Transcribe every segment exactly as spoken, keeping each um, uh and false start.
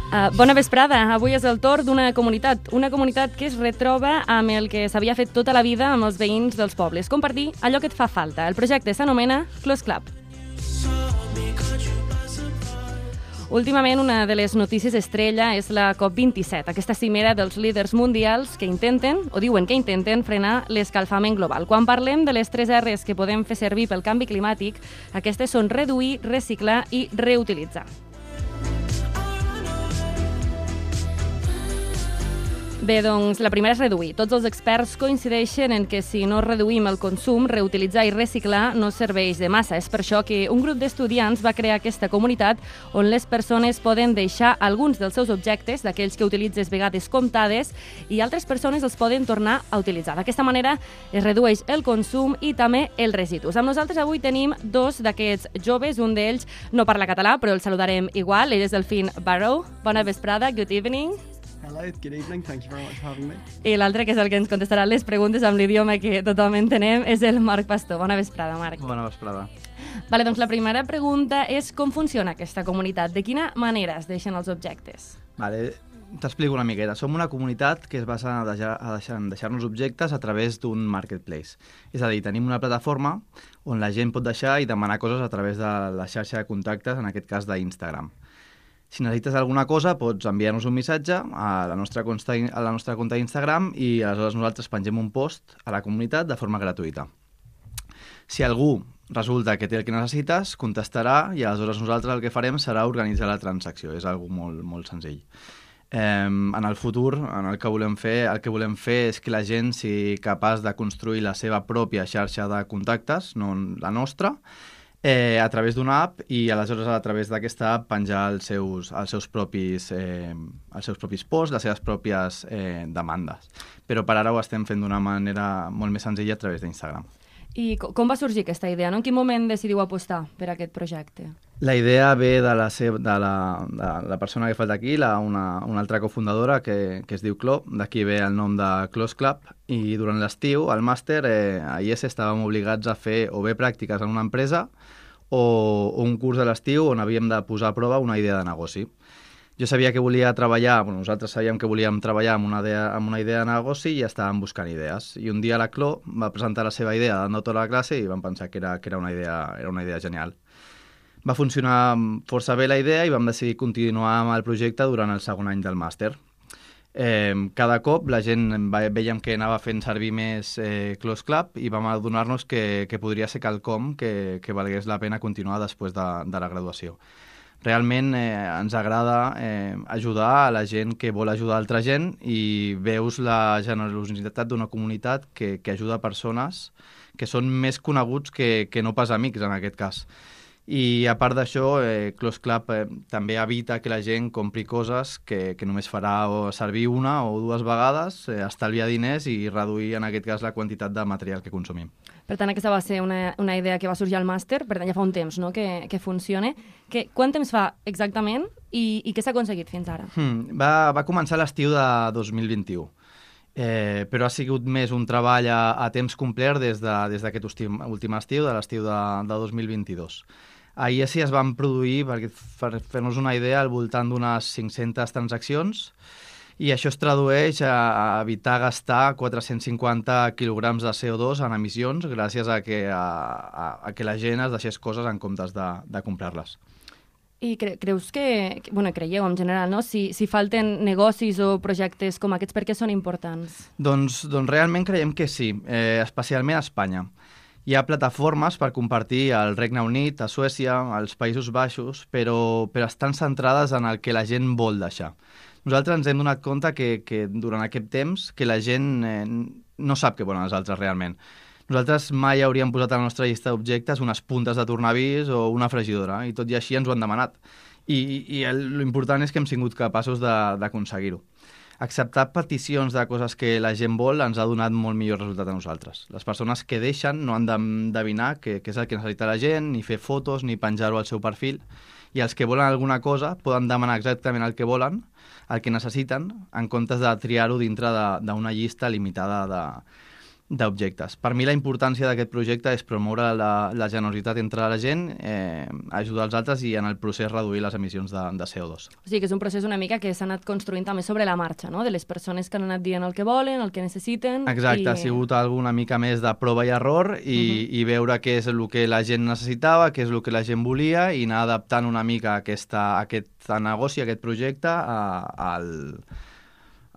Uh, bona vesprada. Avui és el torn d'una comunitat, una comunitat que es retroba amb el que s'havia fet tota la vida amb els veïns dels pobles, compartir allò que et fa falta. El projecte s'anomena Close Club. Últimament, una de les notícies estrella és la COP vint-i-set, aquesta cimera dels líders mundials que intenten, o diuen que intenten, frenar l'escalfament global. Quan parlem de les tres erres que podem fer servir pel canvi climàtic, aquestes són reduir, reciclar i reutilitzar. Bé, doncs la primera és reduir. Tots els experts coincideixen en que si no reduïm el consum, reutilitzar i reciclar no serveix de massa. És per això que un grup d'estudiants va crear aquesta comunitat on les persones poden deixar alguns dels seus objectes, d'aquells que utilitzes vegades comptades, i altres persones els poden tornar a utilitzar. D'aquesta manera es redueix el consum i també els residus. Amb nosaltres avui tenim dos d'aquests joves. Un d'ells no parla català, però el saludarem igual. Ell és Delfín Barrow. Bona vesprada, good evening. Hello, good evening. Thank you very much for having me. I l'altre, que és el que ens contestarà les preguntes amb l'idioma que tothom entenem, és el Marc Pastor. Bona vesprada, Marc. Bona vesprada. Vale, doncs la primera pregunta és com funciona aquesta comunitat? De quina manera es deixen els objectes? Vale, t'explico una miqueta. Som una comunitat que es basa a deixar, a deixar, en deixar-nos objectes a través d'un marketplace. És a dir, tenim una plataforma on la gent pot deixar i demanar coses a través de la xarxa de contactes, en aquest cas d'Instagram. Si necessites alguna cosa, pots enviar-nos un missatge a la nostra conta, a la nostra compte d'Instagram i aleshores nosaltres pengem un post a la comunitat de forma gratuïta. Si algú resulta que té el que necessites, contestarà i aleshores nosaltres el que farem serà organitzar la transacció. És algo molt, molt senzill. Eh, en el futur, en el que volem fer, el que volem fer és que la gent sigui capaç de construir la seva pròpia xarxa de contactes, no la nostra, Eh, a través d'una app i aleshores a través d'aquesta app penjar els seus, els seus, propis, eh, els seus propis posts, les seves pròpies eh, demandes. Però per ara ho estem fent d'una manera molt més senzilla a través d'Instagram. I com va sorgir aquesta idea? No? En quin moment decidiu apostar per aquest projecte? La idea ve de la, seva, de la, de la persona que falta aquí, la, una, una altra cofundadora que, que es diu Clo, d'aquí ve el nom de Close Club, i durant l'estiu, al màster, eh, a I E S estàvem obligats a fer o bé pràctiques en una empresa o, o un curs de l'estiu on havíem de posar a prova una idea de negoci. Jo sabia que volia treballar, bueno, nosaltres sabíem que volíem treballar amb una idea, amb una idea de negoci i estàvem buscant idees. I un dia la Clo va presentar la seva idea davant de tota la classe i vam pensar que era, que era, una, idea, era una idea genial. Va funcionar força bé la idea i vam decidir continuar amb el projecte durant el segon any del màster. Eh, cada cop la gent veiem que anava fent servir més eh, Close Club i vam adonar-nos que, que podria ser quelcom que, que valgués la pena continuar després de, de la graduació. Realment eh, ens agrada eh, ajudar a la gent que vol ajudar altra gent i veus la generositat d'una comunitat que, que ajuda persones que són més coneguts que, que no pas amics en aquest cas. I a part d'això, eh, Close Club eh, també evita que la gent compri coses que, que només farà o servir una o dues vegades, eh, estalviar diners i reduir en aquest cas la quantitat de material que consumim. Per tant, aquesta va ser una, una idea que va sorgir al màster, per tant ja fa un temps, no?, que, que funcione. Que, quant temps fa exactament i, i què s'ha aconseguit fins ara? Hmm, va, va començar l'estiu de dos mil vint-i-u. Eh, però ha sigut més un treball a, a temps complet des d'aquest de, últim estiu, de l'estiu de, de dos mil vint-i-dos. A I E S es van produir, per fer-nos una idea, al voltant d'unes cinc-centes transaccions i això es tradueix a, a evitar gastar quatre-cents cinquanta quilograms de C O dos en emissions gràcies a que, a, a, a que la gent es deixés coses en comptes de, de comprar-les. I cre creus que, que, bueno, creieu en general, no? Si, si falten negocis o projectes com aquests, per què són importants? Doncs, doncs realment creiem que sí, eh, especialment a Espanya. Hi ha plataformes per compartir al Regne Unit, a Suècia, als Països Baixos, però, però estan centrades en el que la gent vol deixar. Nosaltres ens hem donat compte que, que durant aquest temps que la gent eh, no sap què volen els altres realment. Nosaltres mai hauríem posat a la nostra llista d'objectes unes puntes de tornavís o una fregidora, i tot i així ens ho han demanat. I, i l'important és que hem sigut capaços d'aconseguir-ho. Acceptar peticions de coses que la gent vol ens ha donat molt millor resultat a nosaltres. Les persones que deixen no han d'endevinar què és el que necessita la gent, ni fer fotos, ni penjar-ho al seu perfil, i els que volen alguna cosa poden demanar exactament el que volen, el que necessiten, en comptes de triar-ho dintre d'una llista limitada de, d'objectes. Per mi la importància d'aquest projecte és promoure la, la generositat entre la gent, eh, ajudar els altres i en el procés reduir les emissions de, de C O dos. O sigui que és un procés una mica que s'ha anat construint també sobre la marxa, no? De les persones que han anat dient el que volen, el que necessiten... Exacte, i... ha sigut alguna mica més de prova i error i, uh-huh. i veure què és el que la gent necessitava, què és el que la gent volia i anar adaptant una mica aquesta, aquest negoci, aquest projecte a, al...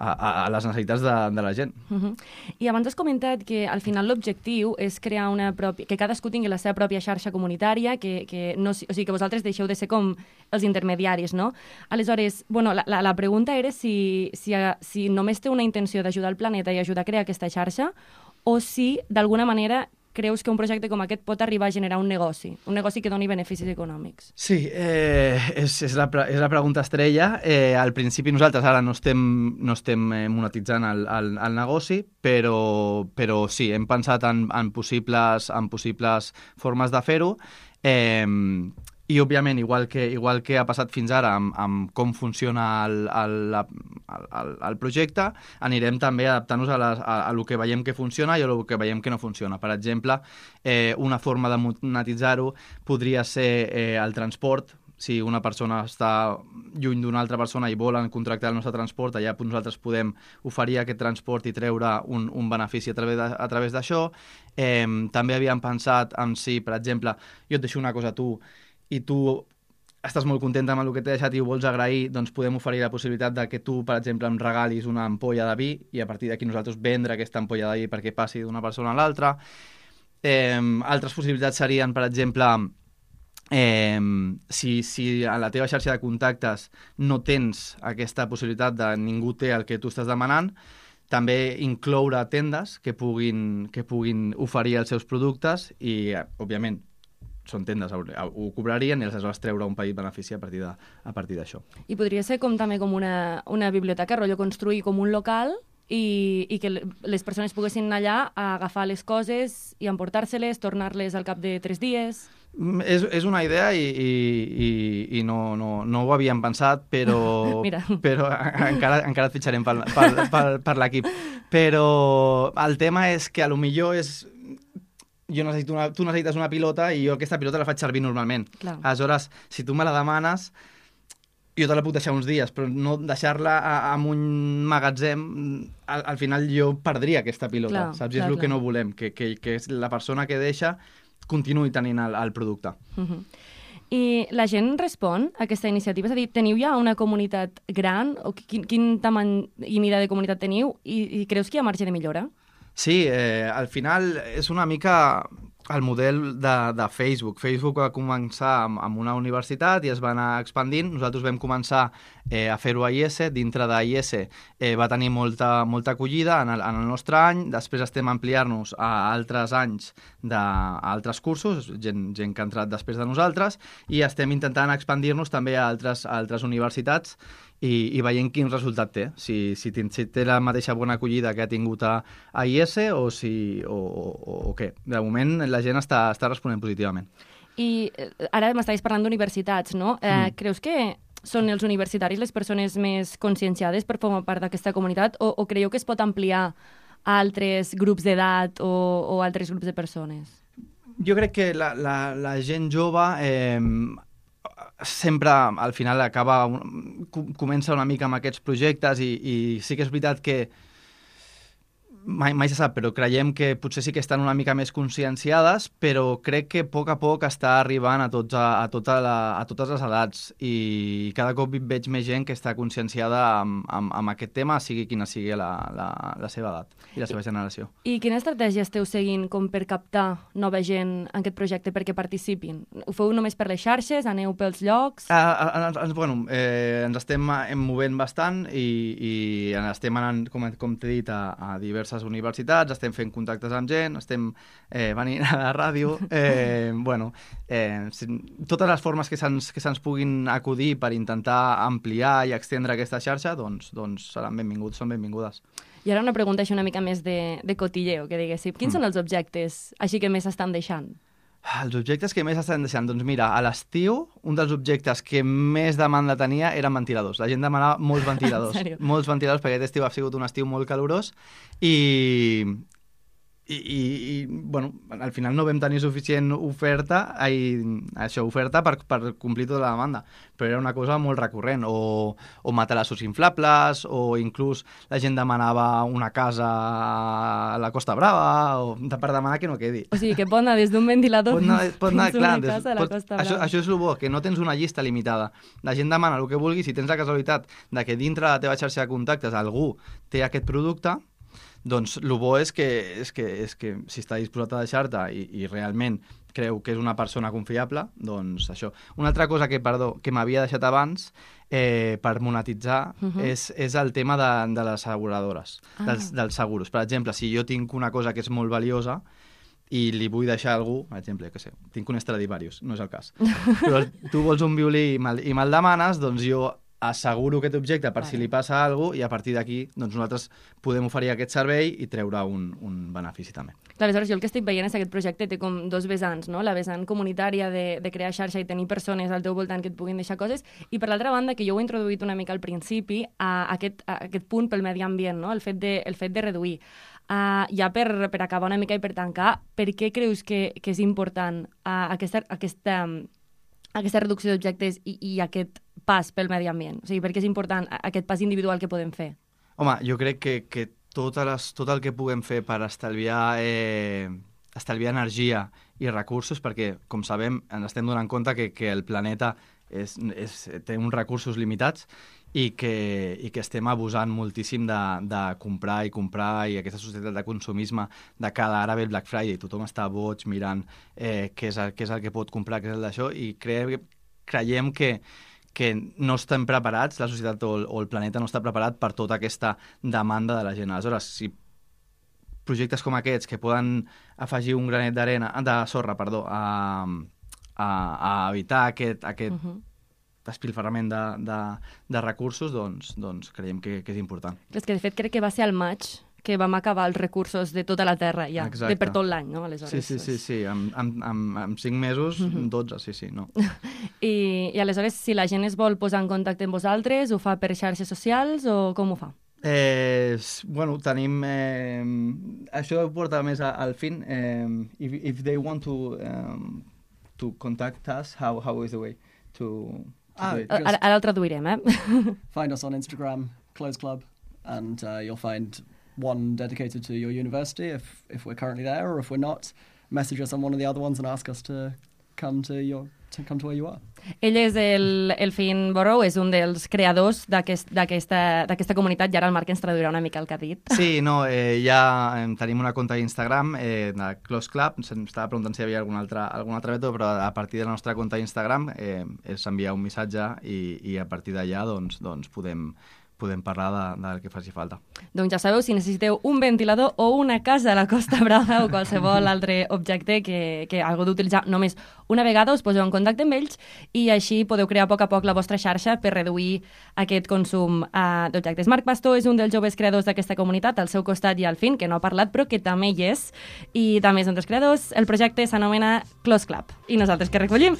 A, a les necessitats de, de la gent. Uh-huh. I abans has comentat que al final l'objectiu és crear una pròpia... que cadascú tingui la seva pròpia xarxa comunitària, que, que no, o sigui, que vosaltres deixeu de ser com els intermediaris, no? Aleshores, bueno, la, la, la pregunta era si, si, si només té una intenció d'ajudar el planeta i ajudar a crear aquesta xarxa, o si, d'alguna manera, creus que un projecte com aquest pot arribar a generar un negoci, un negoci que doni beneficis econòmics? Sí, eh, és, és, la, és la pregunta estrella. Eh, al principi nosaltres ara no estem, no estem monetitzant el, el, el negoci, però, però sí, hem pensat en, en, possibles, en possibles formes de fer-ho. Eh, I, òbviament, igual que, igual que ha passat fins ara amb, amb com funciona el, el, el, el projecte, anirem també adaptant-nos a, les, a, a lo que veiem que funciona i a lo que veiem que no funciona. Per exemple, eh, una forma de monetitzar-ho podria ser eh, el transport. Si una persona està lluny d'una altra persona i volen contractar el nostre transport, allà nosaltres podem oferir aquest transport i treure un, un benefici a través de, a través d'això. Eh, també havíem pensat en si, per exemple, jo et deixo una cosa a tu i tu estàs molt contenta amb el que t'he deixat i ho vols agrair, doncs podem oferir la possibilitat de que tu, per exemple, em regalis una ampolla de vi i a partir d'aquí nosaltres vendre aquesta ampolla de vi perquè passi d'una persona a l'altra. Eh, altres possibilitats serien, per exemple, eh, si, si a la teva xarxa de contactes no tens aquesta possibilitat de ningú té el que tu estàs demanant, també incloure tendes que puguin, que puguin oferir els seus productes i, òbviament, són tendes, ho cobrarien i aleshores treure un petit benefici a partir de, a partir d'això. I podria ser com també com una, una biblioteca, rotllo construir com un local i, i que les persones poguessin anar allà a agafar les coses i emportar-se-les, tornar-les al cap de tres dies... És, és una idea i, i, i, i no, no, no ho havíem pensat, però, però encara, encara et fitxarem per, per, per, per l'equip. Però el tema és que a lo millor és... Jo necessito una, tu necessites una pilota i jo aquesta pilota la faig servir normalment. Clar. Aleshores, si tu me la demanes, jo te la puc deixar uns dies, però no deixar-la en un magatzem, al, al final jo perdria aquesta pilota, clar, saps? Clar, és el clar. que no volem, que, que, que la persona que deixa continuï tenint el, el producte. Uh-huh. I la gent respon a aquesta iniciativa? És a dir, teniu ja una comunitat gran? O quin, quin tamany i mida de comunitat teniu? I, i creus que hi ha marge de millora? Sí, eh, al final és una mica el model de, de Facebook. Facebook va començar amb, amb una universitat i es va anar expandint. Nosaltres vam començar eh, a fer-ho a I S. Dintre d'I S eh, va tenir molta, molta acollida en el, en el nostre any. Després estem a ampliar-nos a altres anys, de, a altres cursos, gent, gent que ha entrat després de nosaltres, i estem intentant expandir-nos també a altres, a altres universitats i, i veient quin resultat té, si, si, si té la mateixa bona acollida que ha tingut a, a I S o, si, o, o, o què. De moment la gent està, està responent positivament. I ara m'estaves parlant d'universitats, no? Eh, mm. Creus que són els universitaris les persones més conscienciades per formar part d'aquesta comunitat o, o creieu que es pot ampliar a altres grups d'edat o, o altres grups de persones? Jo crec que la, la, la gent jove eh, sempre al final acaba, comença una mica amb aquests projectes i, i sí que és veritat que mai, mai se sap, però creiem que potser sí que estan una mica més conscienciades, però crec que a poc a poc està arribant a, tots, a, a, tota la, a totes les edats i cada cop veig més gent que està conscienciada amb, amb, amb aquest tema, sigui quina sigui la, la, la seva edat i la seva generació. I quina estratègia esteu seguint com per captar nova gent en aquest projecte perquè participin? Ho feu només per les xarxes? Aneu pels llocs? Uh, uh, uh, bueno, eh, ens estem movent bastant i, i estem anant, com, com t'he dit, a, a diverses universitats, estem fent contactes amb gent, estem eh, venint a la ràdio, eh, bueno, eh, totes les formes que se'ns que se'ns puguin acudir per intentar ampliar i extendre aquesta xarxa, doncs, doncs seran benvinguts, són benvingudes. I ara una pregunta així una mica més de, de cotilleo, que diguéssim. Quins mm. són els objectes així que més estan deixant? Els objectes que més estan deixant? Doncs mira, a l'estiu, un dels objectes que més demanda tenia eren ventiladors. La gent demanava molts ventiladors. Molts ventiladors, perquè aquest estiu ha sigut un estiu molt calorós i, I, i, i bueno, al final no vam tenir suficient oferta, ai, això, oferta per, per complir tota la demanda, però era una cosa molt recurrent, o, o matalassos inflables, o inclús la gent demanava una casa a la Costa Brava, o per demanar que no quedi. O sigui, que pot anar des d'un ventilador pot anar, pot anar, fins clar, una casa a la pot, Costa Brava. Això, això és el bo, que no tens una llista limitada. La gent demana el que vulgui, si tens la casualitat de que dintre de la teva xarxa de contactes algú té aquest producte, doncs el bo és que, és que, és que si està disposat a deixar-te i, i realment creu que és una persona confiable, doncs això. Una altra cosa que, perdó, que m'havia deixat abans eh, per monetitzar uh -huh. és, és el tema de, de les asseguradores, ah. dels, dels seguros. Per exemple, si jo tinc una cosa que és molt valiosa i li vull deixar a algú, per exemple, que sé, tinc un Stradivarius, no és el cas, però tu vols un violí i me'l, i me'l demanes, doncs jo asseguro aquest objecte per vale. Si li passa alguna cosa i a partir d'aquí doncs nosaltres podem oferir aquest servei i treure un, un benefici també. Clar, aleshores, jo el que estic veient és que aquest projecte té com dos vessants, no? La vessant comunitària de, de crear xarxa i tenir persones al teu voltant que et puguin deixar coses, i per l'altra banda, que jo ho he introduït una mica al principi, a aquest, a aquest punt pel medi ambient, no? El fet de, el fet de reduir. Uh, ja per, per acabar una mica i per tancar, per què creus que, que és important uh, aquesta, aquesta, aquesta reducció d'objectes i, i aquest pas pel medi ambient? O sigui, per què és important aquest pas individual que podem fer? Home, jo crec que, que totes les, tot el que puguem fer per estalviar, eh, estalviar energia i recursos, perquè, com sabem, ens estem donant compte que, que el planeta és, és, té uns recursos limitats i que, i que estem abusant moltíssim de, de comprar i comprar, i aquesta societat de consumisme de cada ara ve el Black Friday, tothom està boig mirant eh, què, és el, què és el que pot comprar, què és el d'això, i cre, creiem que que no estem preparats, la societat o el, o el planeta no està preparat per tota aquesta demanda de la gent. Aleshores, si projectes com aquests que poden afegir un granet d'arena, de sorra, perdó, a, a, a evitar aquest, aquest uh-huh. despilfarrament de, de, de recursos, doncs, doncs creiem que, que és important. És que, de fet, crec que va ser al maig que vam acabar els recursos de tota la Terra, ja, de per tot l'any, no? Aleshores, sí, sí, sí, sí. En, en, en, en cinc mesos, uh-huh. dotze, sí, sí, no. I, I aleshores, si la gent es vol posar en contacte amb vosaltres, ho fa per xarxes socials o com ho fa? Eh, bueno, tenim... Eh, això porta més a, al fin. Eh, if, if they want to, um, to contact us, how, how is the way to... to ah, do it? Ara, ara el traduirem, eh? Find us on Instagram, Close Club, and uh, you'll find one dedicated to your university if if we're currently there, or if we're not, message us on one of the other ones and ask us to come to your to come to where you are. Ell és el, el Finn Borrow, és un dels creadors d'aquesta aquest, d'aquesta comunitat, i ara el Marc ens traduirà una mica el que ha dit. Sí, no, eh, ja eh, tenim una compte d'Instagram, eh, de Close Club, se'm estava preguntant si hi havia algun altre, algun altre mètode, però a partir de la nostra compte d'Instagram eh, és enviar un missatge i, i a partir d'allà doncs, doncs podem podem parlar de, del que faci falta. Doncs ja sabeu, si necessiteu un ventilador o una casa a la Costa Brava o qualsevol altre objecte que, que algú d'utilitzar només una vegada, us poseu en contacte amb ells i així podeu crear a poc a poc la vostra xarxa per reduir aquest consum uh, d'objectes. Marc Pastor és un dels joves creadors d'aquesta comunitat, al seu costat hi ha el Finn, que no ha parlat però que també hi és, i també és un dels creadors. El projecte s'anomena Close Club i nosaltres que recollim?